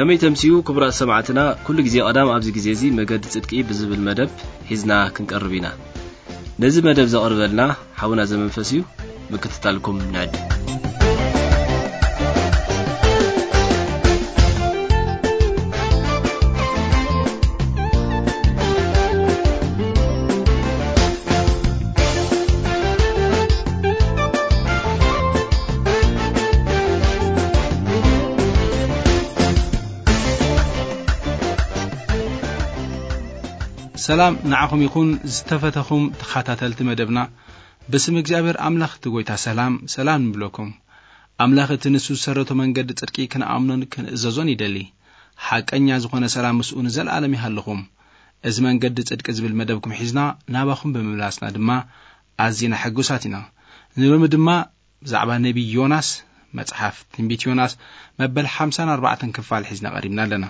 ከመይ ተምስዩ ክቡራት ሰማዕትና፣ ኩሉ ግዜ ቀዳም ኣብዚ ግዜ እዚ መገዲ ጽድቂ ብዝብል መደብ ሒዝና ክንቀርብ ኢና። ነዚ መደብ ዘቕርበልና ሓውና ዘመንፈስ እዩ። ምክትታልኩም ንዕድ። ሰላም ንዓኹም ይኹን ዝተፈተኹም ተኸታተልቲ መደብና። ብስም እግዚኣብሔር ኣምላኽ እቲ ጐይታ ሰላም፣ ሰላም ንብለኩም። ኣምላኽ እቲ ንሱ ዝሰረቶ መንገዲ ጽድቂ ክንኣምኖን ክንእዘዞን ይደሊ። ሓቀኛ ዝኾነ ሰላም ምስኡ ንዘለኣለም ይሃልኹም። እዚ መንገዲ ጽድቂ ዝብል መደብኩም ሒዝና ናባኹም ብምምላስና ድማ ኣዚና ሕጉሳት ኢና። ንሎሚ ድማ ብዛዕባ ነቢይ ዮናስ፣ መጽሓፍ ትንቢት ዮናስ መበል ሓምሳን ኣርባዕተን ክፋል ሒዝና ቀሪብና ኣለና።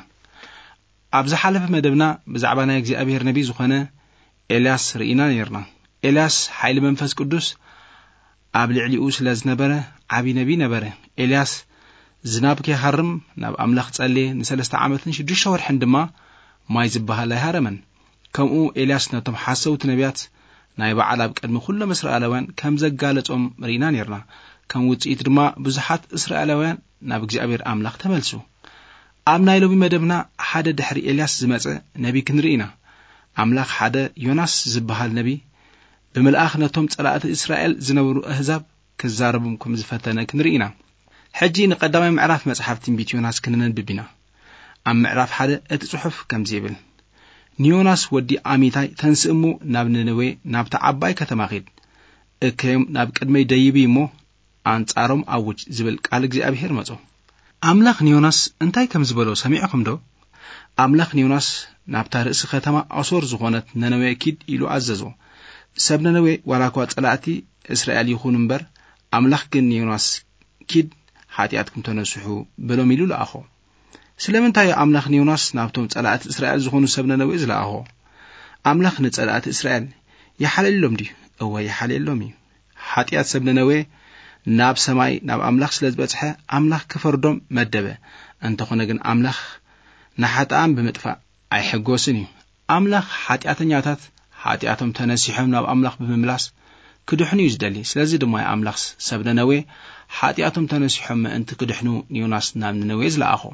ኣብ ዝሓለፈ መደብና ብዛዕባ ናይ እግዚኣብሔር ነቢይ ዝኾነ ኤልያስ ርኢና ነይርና። ኤልያስ ሓይሊ መንፈስ ቅዱስ ኣብ ልዕሊኡ ስለ ዝነበረ ዓቢ ነቢይ ነበረ። ኤልያስ ዝናብ ከይሃርም ናብ ኣምላኽ ጸለየ፣ ንሰለስተ ዓመትን ሽዱሽተ ወርሕን ድማ ማይ ዝበሃል ኣይሃረመን። ከምኡ ኤልያስ ነቶም ሓሰውቲ ነቢያት ናይ በዓል ኣብ ቅድሚ ኩሎም እስራኤላውያን ከም ዘጋለጾም ርኢና ነይርና። ከም ውጽኢት ድማ ብዙሓት እስራኤላውያን ናብ እግዚኣብሔር ኣምላኽ ተመልሱ። ኣብ ናይ ሎሚ መደብና ሓደ ድሕሪ ኤልያስ ዝመጸ ነቢ ክንርኢ ኢና። ኣምላኽ ሓደ ዮናስ ዝበሃል ነቢ ብምልኣኽ ነቶም ጸላእቲ እስራኤል ዝነበሩ ኣህዛብ ክዛረቦም ከም ዝፈተነ ክንርኢ ኢና። ሕጂ ንቀዳማይ ምዕራፍ መጽሓፍ ትንቢት ዮናስ ክንነንብብ ኢና። ኣብ ምዕራፍ ሓደ እቲ ጽሑፍ ከምዚ ይብል፣ "ንዮናስ ወዲ ኣሚታይ ተንስእ እሞ ናብ ነነዌ ናብታ ዓባይ ከተማ ኺድ፣ እከዮም ናብ ቅድመይ ደይቢ እሞ ኣንጻሮም ኣውጅ" ዝብል ቃል እግዚኣብሔር መጾ። ኣምላኽ ንዮናስ እንታይ ከም ዝበሎ ሰሚዕኹም ዶ? ኣምላኽ ንዮናስ ናብታ ርእሲ ከተማ ኣሶር ዝኾነት ነነዌ ኪድ ኢሉ ኣዘዞ። ሰብ ነነዌ ዋላ እኳ ጸላእቲ እስራኤል ይኹኑ እምበር፣ ኣምላኽ ግን ንዮናስ ኪድ ሓጢኣትኩም ተነስሑ በሎም ኢሉ ለኣኾ። ስለምንታይ እዩ ኣምላኽ ንዮናስ ናብቶም ጸላእቲ እስራኤል ዝኾኑ ሰብ ነነዌ ዝለኣኾ? ኣምላኽ ንጸላእቲ እስራኤል ይሓልየሎም ድዩ? እወ ይሓልየሎም እዩ። ሓጢኣት ሰብ ነነዌ ናብ ሰማይ ናብ ኣምላኽ ስለ ዝበጽሐ ኣምላኽ ክፈርዶም መደበ። እንተኾነ ግን ኣምላኽ ንሓጥኣን ብምጥፋእ ኣይሕጎስን እዩ። ኣምላኽ ሓጢኣተኛታት ሓጢኣቶም ተነሲሖም ናብ ኣምላኽ ብምምላስ ክድሕኑ እዩ ዝደሊ። ስለዚ ድማ ኣምላኽ ሰብ ነነዌ ሓጢኣቶም ተነሲሖም ምእንቲ ክድሕኑ ንዮናስ ናብ ነነዌ ዝለኣኾ።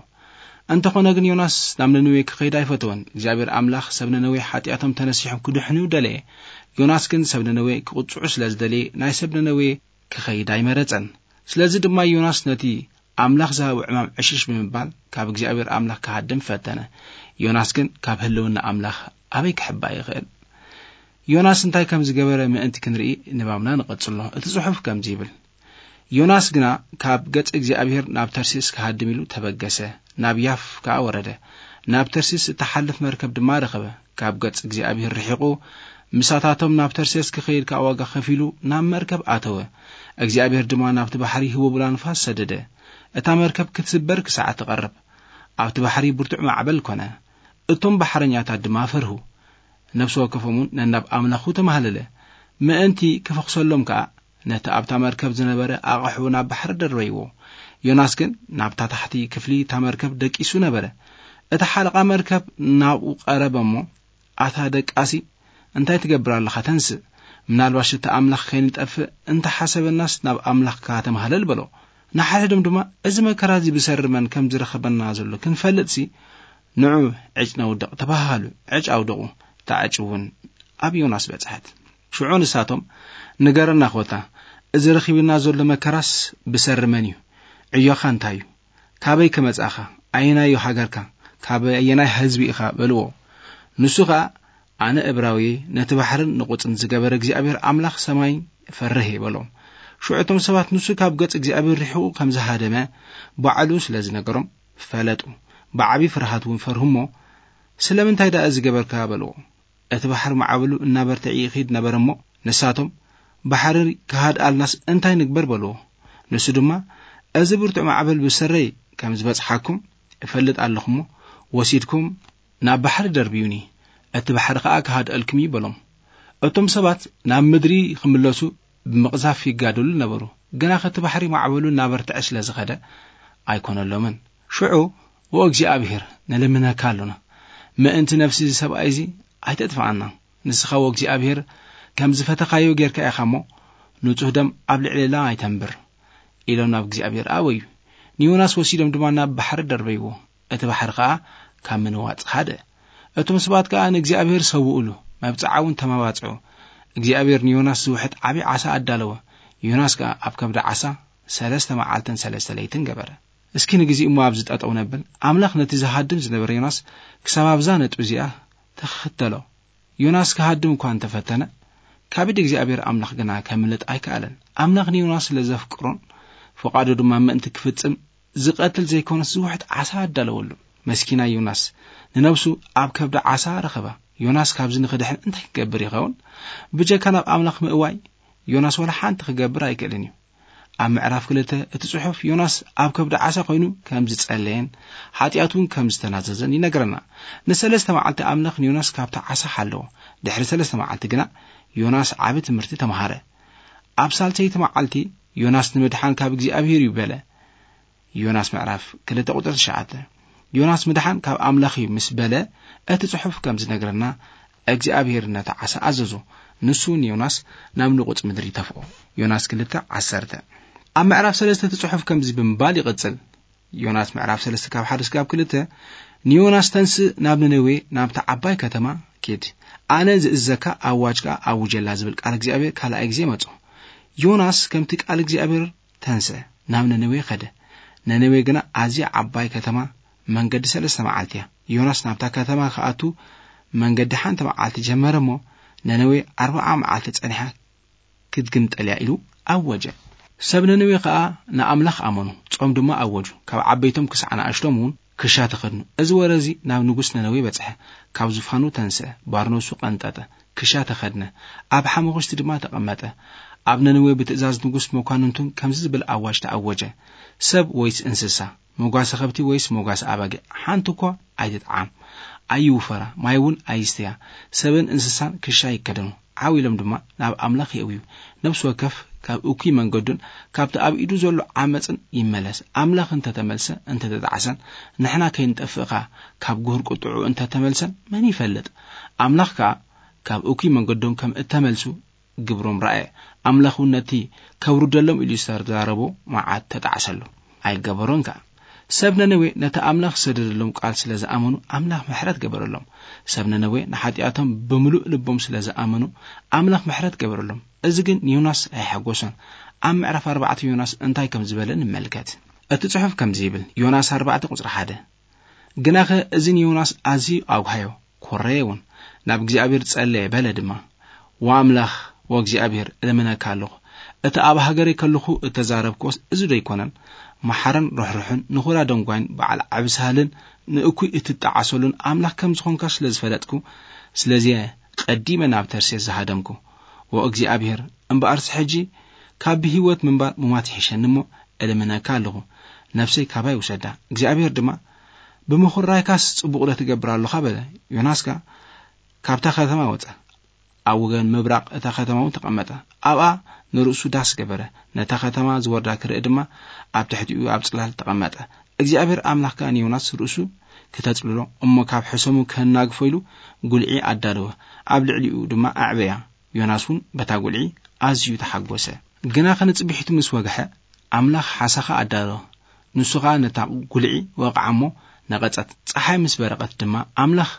እንተኾነ ግን ዮናስ ናብ ነነዌ ክኸይድ ኣይፈተወን። እግዚኣብሔር ኣምላኽ ሰብ ነነዌ ሓጢኣቶም ተነሲሖም ክድሕኑ ደለየ። ዮናስ ግን ሰብ ነነዌ ክቕጽዑ ስለ ዝደለየ ናይ ሰብ ነነዌ ክኸይድ ኣይመረጸን። ስለዚ ድማ ዮናስ ነቲ ኣምላኽ ዝሃቦ ዕማም ዕሽሽ ብምባል ካብ እግዚኣብሔር ኣምላኽ ክሃድም ፈተነ። ዮናስ ግን ካብ ህልውና ኣምላኽ ኣበይ ክሕባእ ይኽእል? ዮናስ እንታይ ከም ዝገበረ ምእንቲ ክንርኢ ንባብና ንቐጽሎ። እቲ ጽሑፍ ከምዚ ይብል፣ ዮናስ ግና ካብ ገጽ እግዚኣብሔር ናብ ተርሴስ ክሃድም ኢሉ ተበገሰ፣ ናብ ያፍ ከኣ ወረደ። ናብ ተርሴስ እትሓልፍ መርከብ ድማ ረኸበ። ካብ ገጽ እግዚኣብሔር ርሒቑ ምሳታቶም ናብ ተርሴስ ክኸይድ ከኣ ዋጋ ከፊሉ ናብ መርከብ ኣተወ። እግዚኣብሔር ድማ ናብቲ ባሕሪ ህቦብላ ንፋስ ሰደደ። እታ መርከብ ክትስበር ክሳዕ ትቐርብ፣ ኣብቲ ባሕሪ ብርቱዕ ማዕበል ኮነ። እቶም ባሕረኛታት ድማ ፈርሁ። ነፍሲ ወከፎም እውን ነናብ ኣምላኹ ተማህለለ። ምእንቲ ክፈኹሰሎም ከኣ ነቲ ኣብታ መርከብ ዝነበረ ኣቕሑ ናብ ባሕሪ ደርበይዎ። ዮናስ ግን ናብታ ታሕቲ ክፍሊ እታ መርከብ ደቂሱ ነበረ። እቲ ሓለቓ መርከብ ናብኡ ቀረበ እሞ፣ "ኣታ ደቃሲ፣ እንታይ ትገብር ኣለኻ? ተንስእ። ምናልባሽ እቲ ኣምላኽ ከይንጠፍእ እንተሓሰበናስ ናብ ኣምላኽካ ተማህለል" በሎ። ንሓድሕዶም ድማ፣ "እዚ መከራ እዚ ብሰሪ መን ከም ዝረኸበና ዘሎ ክንፈልጥሲ ንዑ ዕጭ ነውድቕ" ተባሃሃሉ። ዕጭ ኣውደቑ። እታ ዕጭ እውን ኣብ ዮናስ በጽሐት። ሽዑ ንሳቶም፣ "ንገረና ኾታ፣ እዚ ረኺብና ዘሎ መከራስ ብሰሪ መን እዩ? ዕዮኻ እንታይ እዩ? ካበይ ከመጻኻ? ኣየናይ እዩ ሃገርካ? ካብ ኣየናይ ህዝቢ ኢኻ?" በልዎ። ንሱ ኸኣ፣ "ኣነ እብራዊ፣ ነቲ ባሕርን ንቑጽን ዝገበረ እግዚኣብሔር ኣምላኽ ሰማይ ፈርህ" በሎም። ሽዑ እቶም ሰባት ንሱ ካብ ገጽ እግዚኣብሔር ርሒቑ ከም ዝሃደመ ባዕሉ ስለ ዝነገሮም ፈለጡ። ብዓቢ ፍርሃት እውን ፈርሁ እሞ፣ "ስለምንታይ ደኣ እዚ ገበርካ?" በልዎ። እቲ ባሕሪ ማዕበሉ እናበርትዐ ይኺድ ነበረ እሞ፣ ንሳቶም፣ "ባሕሪ ክሃድኣልናስ እንታይ ንግበር?" በልዎ። ንሱ ድማ፣ "እዚ ብርቱዕ ማዕበል ብሰረይ ከም ዝበጽሓኩም እፈልጥ ኣለኹ እሞ፣ ወሲድኩም ናብ ባሕሪ ደርብዩኒ፣ እቲ ባሕሪ ኸኣ ክሃድኣልኩም እዩ" በሎም። እቶም ሰባት ናብ ምድሪ ክምለሱ ብምቕዛፍ ይጋደሉ ነበሩ። ግና እቲ ባሕሪ ማዕበሉ እናበርትዐ ስለ ዝኸደ ኣይኮነሎምን። ሽዑ "ወእግዚኣብሔር፣ ንልምነካ ኣሎና፣ ምእንቲ ነፍሲ እዚ ሰብኣይ እዚ ኣይተጥፍኣና። ንስኻ ወእግዚኣብሔር ከም ዝፈተኻዮ ጌርካ ኢኻ እሞ፣ ንጹህ ደም ኣብ ልዕሌና ኣይተንብር" ኢሎም ናብ እግዚኣብሔር ኣበዩ። ንዮናስ ወሲዶም ድማ ናብ ባሕሪ ደርበይዎ። እቲ ባሕሪ ከኣ ካብ ምንዋጽ ሃደ። እቶም ሰባት ከኣ ንእግዚኣብሔር ሰውኡሉ፣ መብጽዓ እውን ተመባጽዑ። እግዚኣብሔር ንዮናስ ዝውሕጥ ዓቢ ዓሳ ኣዳለወ። ዮናስ ከኣ ኣብ ከብዲ ዓሳ ሰለስተ መዓልትን ሰለስተ ለይትን ገበረ። እስኪ ንግዜ እሞ ኣብዚ ጠጠው ነብል። ኣምላኽ ነቲ ዝሃድም ዝነበረ ዮናስ ክሳብ ኣብዛ ነጥቢ እዚኣ ተኸተሎ። ዮናስ ክሃድም እኳ እንተፈተነ፣ ካብ ኢድ እግዚኣብሔር ኣምላኽ ግና ከምልጥ ኣይከኣለን። ኣምላኽ ንዮናስ ስለ ዘፍቅሮን ፍቓዱ ድማ ምእንቲ ክፍጽም ዝቐትል ዘይኮነስ ዝውሕጥ ዓሳ ኣዳለወሉ። መስኪና ዮናስ ንነብሱ ኣብ ከብዲ ዓሳ ረኸባ። ዮናስ ካብዚ ንኽድሕን እንታይ ክገብር ይኸውን? ብጀካ ናብ ኣምላኽ ምእዋይ ዮናስ ወላ ሓንቲ ክገብር ኣይክእልን እዩ። ኣብ ምዕራፍ ክልተ እቲ ጽሑፍ ዮናስ ኣብ ከብዲ ዓሳ ኮይኑ ከም ዝጸለየን ሓጢኣቱ እውን ከም ዝተናዘዘን ይነግረና። ንሰለስተ መዓልቲ ኣምላኽ ንዮናስ ካብቲ ዓሳ ሓለዎ። ድሕሪ ሰለስተ መዓልቲ ግና ዮናስ ዓቢ ትምህርቲ ተማሃረ። ኣብ ሳልሰይቲ መዓልቲ ዮናስ ንምድሓን ካብ እግዚኣብሔር እዩ በለ። ዮናስ ምዕራፍ ክልተ ቁጽሪ ትሽዓተ። ዮናስ ምድሓን ካብ ኣምላኽ እዩ ምስ በለ፣ እቲ ጽሑፍ ከም ዝነግረና፣ እግዚኣብሔር ነቲ ዓሳ ኣዘዞ፣ ንሱ ንዮናስ ናብ ንቑጽ ምድሪ ተፍኦ። ዮናስ ክልተ ዓሰርተ። ኣብ ምዕራፍ ሰለስተ እቲ ጽሑፍ ከምዚ ብምባል ይቕጽል። ዮናስ ምዕራፍ ሰለስተ ካብ ሓደ እስካብ ክልተ፣ ንዮናስ፣ "ተንስእ፣ ናብ ነነዌ፣ ናብታ ዓባይ ከተማ ኪድ። ኣነ ዝእዘካ ኣዋጅ ከኣ ኣውጀላ" ዝብል ቃል እግዚኣብሔር ካልኣይ ግዜ መጾ። ዮናስ ከምቲ ቃል እግዚኣብሔር ተንስአ፣ ናብ ነነዌ ኸደ። ነነዌ ግና ኣዝያ ዓባይ ከተማ፣ መንገዲ ሰለስተ መዓልቲ እያ። ዮናስ ናብታ ከተማ ክኣቱ መንገዲ ሓንቲ መዓልቲ ጀመረ እሞ፣ ነነዌ ኣርብዓ መዓልቲ ጸኒሓ ክትግምጠል እያ ኢሉ ኣወጀ። ሰብ ነነዌ ኸኣ ንኣምላኽ ኣመኑ፣ ጾም ድማ ኣወጁ። ካብ ዓበይቶም ክሳዕ ንኣሽቶም እውን ክሻ ተኸድኑ። እዚ ወረ እዚ ናብ ንጉስ ነነዌ በጽሐ። ካብ ዙፋኑ ተንስአ፣ ባርነቱ ቀንጠጠ፣ ክሻ ተኸድነ፣ ኣብ ሓመኹሽቲ ድማ ተቐመጠ። ኣብ ነነዌ ብትእዛዝ ንጉስ መኳንንቱን ከምዚ ዝብል ኣዋጅ ተኣወጀ፣ "ሰብ ወይስ እንስሳ፣ መጓሰ ከብቲ ወይስ መጓሰ ኣባጊዕ፣ ሓንቲ እኳ ኣይትጥዓም፣ ኣይውፈራ፣ ማይ እውን ኣይስተያ። ሰብን እንስሳን ክሻ ይከደኑ፣ ዓው ኢሎም ድማ ናብ ኣምላኽ የእውዩ። ነፍሲ ወከፍ ካብ እኩይ መንገዱን ካብቲ ኣብ ኢዱ ዘሎ ዓመፅን ይመለስ። ኣምላኽ እንተተመልሰ እንተተጣዕሰን፣ ንሕና ከይንጠፍእኻ ካብ ጉህር ቁጥዑ እንተተመልሰን መን ይፈልጥ? ኣምላኽ ከኣ ካብ እኩይ መንገዶም ከም እተመልሱ ግብሮም ረኣየ። ኣምላኽ እውን ነቲ ከውርደሎም ኢሉ ዝተዛረቦ መዓት ተጣዕሰሉ፣ ኣይገበሮን ከኣ። ሰብ ነነዌ ነቲ ኣምላኽ ዝሰደደሎም ቃል ስለ ዝኣመኑ፣ ኣምላኽ ምሕረት ገበረሎም። ሰብ ነነዌ ንሓጢኣቶም ብምሉእ ልቦም ስለ ዝኣመኑ፣ ኣምላኽ ምሕረት ገበረሎም። እዚ ግን ንዮናስ ኣየሐጎሶን። ኣብ ምዕራፍ ኣርባዕተ ዮናስ እንታይ ከም ዝበለ ንመልከት። እቲ ጽሑፍ ከምዚ ይብል፣ ዮናስ ኣርባዕተ ቁጽሪ ሓደ፣ ግናኸ እዚ ንዮናስ ኣዝዩ ኣጉሃዮ፣ ኮረየ እውን። ናብ እግዚኣብሔር ጸለየ፣ በለ ድማ፣ "ወኣምላኽ ወእግዚኣብሔር፣ እልምነካ ኣለኹ፣ እቲ ኣብ ሃገረይ ከለኹ እተዛረብክዎስ እዚ ዶ ኣይኮነን? መሓርን ርሕሩሕን፣ ንኹራ ደንጓይን በዓል ዓቢ ሳህልን ንእኩይ እትጠዓሰሉን ኣምላኽ ከም ዝኾንካ ስለ ዝፈለጥኩ፣ ስለዚ ቀዲመ ናብ ተርሴስ ዝሃደምኩ። ወእግዚኣብሔር እምበኣርሲ ሕጂ ካብ ብህይወት ምንባር ምሟት ይሕሸኒ እሞ፣ እልምነካ ኣለኹ፣ ነፍሰይ ካባይ ውሰዳ። እግዚኣብሔር ድማ ብምኹራይካስ ጽቡቕ ዶ ትገብር ኣለኻ?" በለ። ዮናስ ከኣ ካብታ ከተማ ወጸ። ኣብ ወገን ምብራቕ እታ ከተማ እውን ተቐመጠ። ኣብኣ ንርእሱ ዳስ ገበረ። ነታ ከተማ ዝወርዳ ክርኢ ድማ ኣብ ትሕቲኡ ኣብ ጽላል ተቐመጠ። እግዚኣብሔር ኣምላኽ ከኣ ንዮናስ ርእሱ ክተጽልሎ እሞ ካብ ሕሰሙ ከናግፎ ኢሉ ጉልዒ ኣዳለወ። ኣብ ልዕሊኡ ድማ ኣዕበያ። ዮናስ እውን በታ ጉልዒ ኣዝዩ ተሓጎሰ። ግናኸ ንጽብሒቱ ምስ ወግሐ፣ ኣምላኽ ሓሳኻ ኣዳለወ። ንሱ ኸኣ ነታ ጉልዒ ወቕዓ እሞ ነቐጸት። ጸሓይ ምስ በረቐት ድማ፣ ኣምላኽ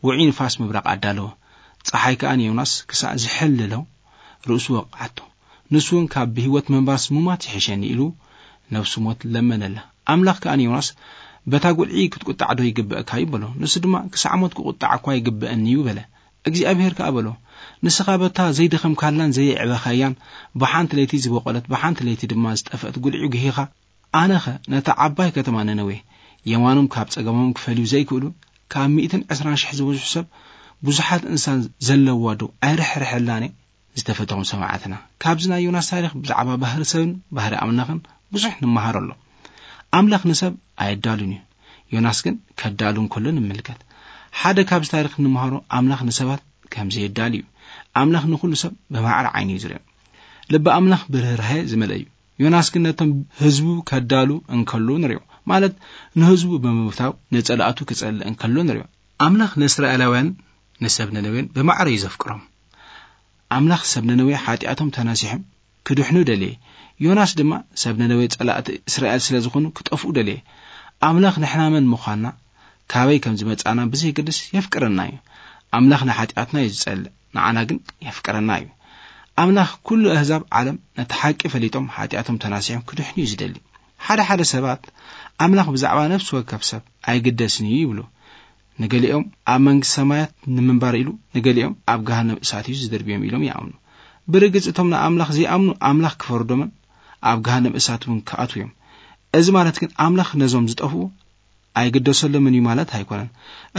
ውዑይ ንፋስ ምብራቕ ኣዳለወ። ጸሓይ ከኣ ንዮናስ ክሳዕ ዝሕልሎ ርእሱ ወቕዓቶ። ንሱ እውን ካብ ብህይወት ምንባርስ ምማት ይሕሸኒ ኢሉ ነፍሱ ሞት ለመነላ። ኣምላኽ ከኣ ንዮናስ፣ "በታ ጉልዒ ክትቁጣዕ ዶ ይግበእካ እዩ?" በሎ። ንሱ ድማ፣ "ክሳዕ ሞት ክቁጣዕ እኳ ይግበአኒ እዩ" በለ። እግዚኣብሔር ከኣ በሎ፣ "ንስኻ በታ ዘይደኸምካላን ዘየዕበኻያን ብሓንቲ ለይቲ ዝበቖለት ብሓንቲ ለይቲ ድማ ዝጠፍአት ጉልዒ ጉሂኻ፣ ኣነኸ ነታ ዓባይ ከተማ ነነዌ የማኖም ካብ ጸገሞም ክፈልዩ ዘይክእሉ ካብ ሚእትን ዕስራን ሽሕ ዝበዝሑ ሰብ ብዙሓት እንስሳን ዘለዋ ዶ ኣይርሕርሐላን?" ዝተፈተኹም ሰማዕትና፣ ካብዚ ናይ ዮናስ ታሪኽ ብዛዕባ ባህሪ ሰብን ባህሪ ኣምላኽን ብዙሕ ንመሃር ኣሎ። ኣምላኽ ንሰብ ኣየዳሉን እዩ። ዮናስ ግን ከዳሉ እንከሎ ንምልከት። ሓደ ካብዚ ታሪኽ እንመሃሮ ኣምላኽ ንሰባት ከም ዘየዳሉ እዩ። ኣምላኽ ንኹሉ ሰብ ብማዕረ ዓይኒ እዩ ዝሪኦ። ልቢ ኣምላኽ ብርህራሄ ዝመልአ እዩ። ዮናስ ግን ነቶም ህዝቡ ከዳሉ እንከሎ ንሪኦ። ማለት ንህዝቡ ብምብታው ንጸላእቱ ክጸልእ እንከሎ ንሪኦ። ኣምላኽ ንእስራኤላውያን ንሰብ ነነዌን ብማዕረ እዩ ዘፍቅሮም። ኣምላኽ ሰብ ነነዌ ሓጢኣቶም ተናሲሖም ክድሕኑ ደልየ። ዮናስ ድማ ሰብ ነነዌ ጸላእቲ እስራኤል ስለ ዝኾኑ ክጠፍኡ ደልየ። ኣምላኽ ንሕና መን ምዃንና፣ ካበይ ከም ዝመጻና ብዘይገድስ የፍቅረና እዩ። ኣምላኽ ንሓጢኣትና እዩ ዝጸልእ፣ ንዓና ግን የፍቅረና እዩ። ኣምላኽ ኩሉ ኣህዛብ ዓለም ነቲ ሓቂ ፈሊጦም ሓጢኣቶም ተናሲሖም ክድሕኑ እዩ ዝደሊ። ሓደ ሓደ ሰባት ኣምላኽ ብዛዕባ ነፍሲ ወከፍ ሰብ ኣይግደስን እዩ ይብሉ። ንገሊኦም ኣብ መንግስቲ ሰማያት ንምንባር ኢሉ፣ ንገሊኦም ኣብ ገሃነም እሳት እዩ ዝድርብዮም ኢሎም ይኣምኑ። ብርግጽ እቶም ንኣምላኽ ዘይኣምኑ ኣምላኽ ክፈርዶምን ኣብ ገሃነም እሳት እውን ክኣትዉ እዮም። እዚ ማለት ግን ኣምላኽ ነዞም ዝጠፍኡ ኣይግደሰሎምን እዩ ማለት ኣይኮነን።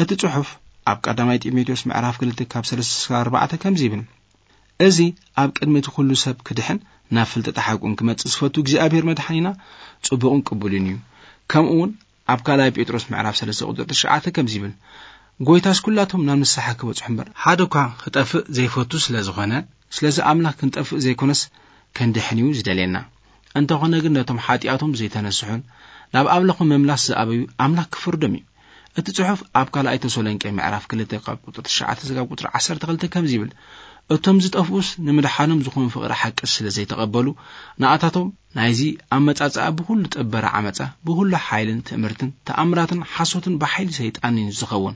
እቲ ጽሑፍ ኣብ ቀዳማይ ጢሞቴዎስ ምዕራፍ ክልተ ካብ ሰለስተ እስካብ ኣርባዕተ ከምዚ ይብል፣ እዚ ኣብ ቅድሚ እቲ ኩሉ ሰብ ክድሕን ናብ ፍልጠት ሓቁን ክመጽእ ዝፈቱ እግዚኣብሔር መድሓኒና ጽቡቕን ቅቡልን እዩ። ከምኡ እውን ኣብ ካልኣይ ጴጥሮስ ምዕራፍ ሰለስተ ቁጽሪ ትሽዓተ ከምዚ ይብል፣ ጎይታስ ኩላቶም ናብ ንስሓ ክበጽሑ እምበር ሓደ እኳ ክጠፍእ ዘይፈቱ ስለ ዝኾነ፣ ስለዚ ኣምላኽ ክንጠፍእ ዘይኮነስ ክንድሕን እዩ ዝደልየና። እንተኾነ ግን ነቶም ሓጢኣቶም ዘይተነስሑን ናብ ኣምላኹ ምምላስ ዝኣበዩ ኣምላኽ ክፍርዶም እዩ። እቲ ጽሑፍ ኣብ ካልኣይ ተሰሎንቄ ምዕራፍ ክልተ ካብ ቁጽሪ ትሽዓተ ስጋብ ቁጽሪ ዓሰርተ ክልተ ከምዚ ይብል፣ እቶም ዝጠፍኡስ ንምድሓኖም ዝኾኑ ፍቕሪ ሓቂ ስለ ዘይተቐበሉ፣ ንኣታቶም ናይዚ ኣመጻጽኣ ብኹሉ ጥበረ ዓመጻ፣ ብኹሉ ሓይልን ትእምርትን ተኣምራትን ሓሶትን ብሓይሊ ሰይጣንን እዩ ዝኸውን።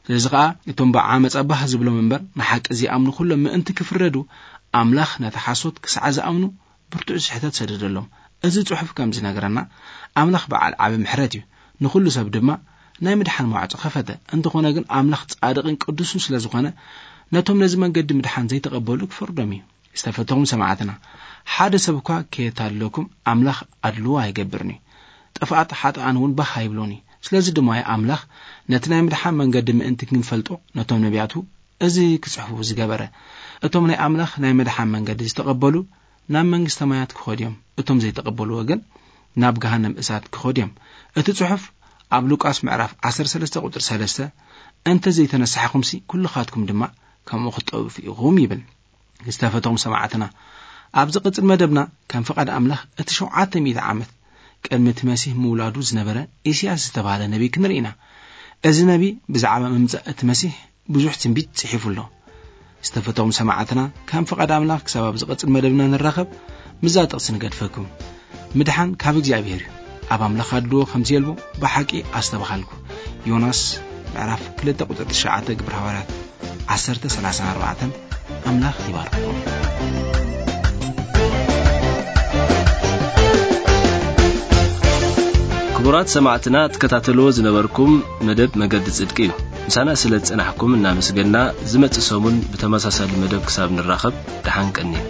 ስለዚ ኸኣ እቶም ብዓመጻ ባህ ዝብሎም እምበር ንሓቂ ዘይኣምኑ ኩሎም ምእንቲ ክፍረዱ፣ ኣምላኽ ነቲ ሓሶት ክሳዕ ዝኣምኑ ብርቱዕ ስሕተት ሰደደሎም። እዚ ጽሑፍ ከም ዝነግረና፣ ኣምላኽ በዓል ዓቢ ምሕረት እዩ፣ ንኹሉ ሰብ ድማ ናይ ምድሓን ማዕጾ ከፈተ። እንተኾነ ግን ኣምላኽ ጻድቕን ቅዱስን ስለ ዝኾነ፣ ነቶም ነዚ መንገዲ ምድሓን ዘይተቐበሉ ክፈርዶም እዩ። ዝተፈተኹም ሰማዕትና፣ ሓደ ሰብ እኳ ከየታልለኩም ኣምላኽ ኣድልዎ ኣይገብርን እዩ። ጥፍኣት ሓጥኣን እውን ባህ ኣይብሎን እዩ። ስለዚ ድማ እዩ ኣምላኽ ነቲ ናይ ምድሓን መንገዲ ምእንቲ ክንፈልጦ ነቶም ነቢያቱ እዚ ክጽሕፉ ዝገበረ። እቶም ናይ ኣምላኽ ናይ ምድሓን መንገዲ ዝተቐበሉ ናብ መንግስተ ሰማያት ክኸዱ እዮም። እቶም ዘይተቐበልዎ ግን ናብ ገሃነም እሳት ክኸዱ እዮም። እቲ ጽሑፍ ኣብ ሉቃስ ምዕራፍ ዓሰርተ ሰለስተ ቁጽሪ ሰለስተ፣ "እንተ ዘይተነሳሕኩምሲ ኩልኻትኩም ድማ ከምኡ ክትጠፍኡ ኢኹም" ይብል። ዝተፈተኹም ሰማዕትና፣ ኣብ ዝቕጽል መደብና ከም ፍቓድ ኣምላኽ እቲ ሸውዓተ ሚእቲ ዓመት ቅድሚ እቲ መሲህ ምውላዱ ዝነበረ ኢሳያስ ዝተባህለ ነቢይ ክንርኢ ኢና። እዚ ነቢይ ብዛዕባ ምምጻእ እቲ መሲህ ብዙሕ ትንቢት ጽሒፉ ኣሎ። ዝተፈተኹም ሰማዕትና፣ ከም ፍቓድ ኣምላኽ ክሳብ ኣብ ዝቕጽል መደብና ንራኸብ፣ ምስዛ ጥቕሲ ንገድፈኩም። ምድሓን ካብ እግዚኣብሔር እዩ። ኣብ ኣምላኽ ኣድልዎ ከም ዘየልቦ ብሓቂ ኣስተብሃልኩ። ዮናስ ምዕራፍ ክልተ ቁጽሪ ትሽዓተ፣ ግብረ ሃዋርያት ዓሰርተ ሰላሳን ኣርባዕተን። ኣምላኽ ይባርኽኩም። ክቡራት ሰማዕትና፣ ትከታተልዎ ዝነበርኩም መደብ መገዲ ጽድቂ እዩ። ምሳና ስለ ዝጸናሕኩም እናመስገና፣ ዝመጽእ ሰሙን ብተመሳሳሊ መደብ ክሳብ ንራኸብ፣ ደሓን ቀንዩ።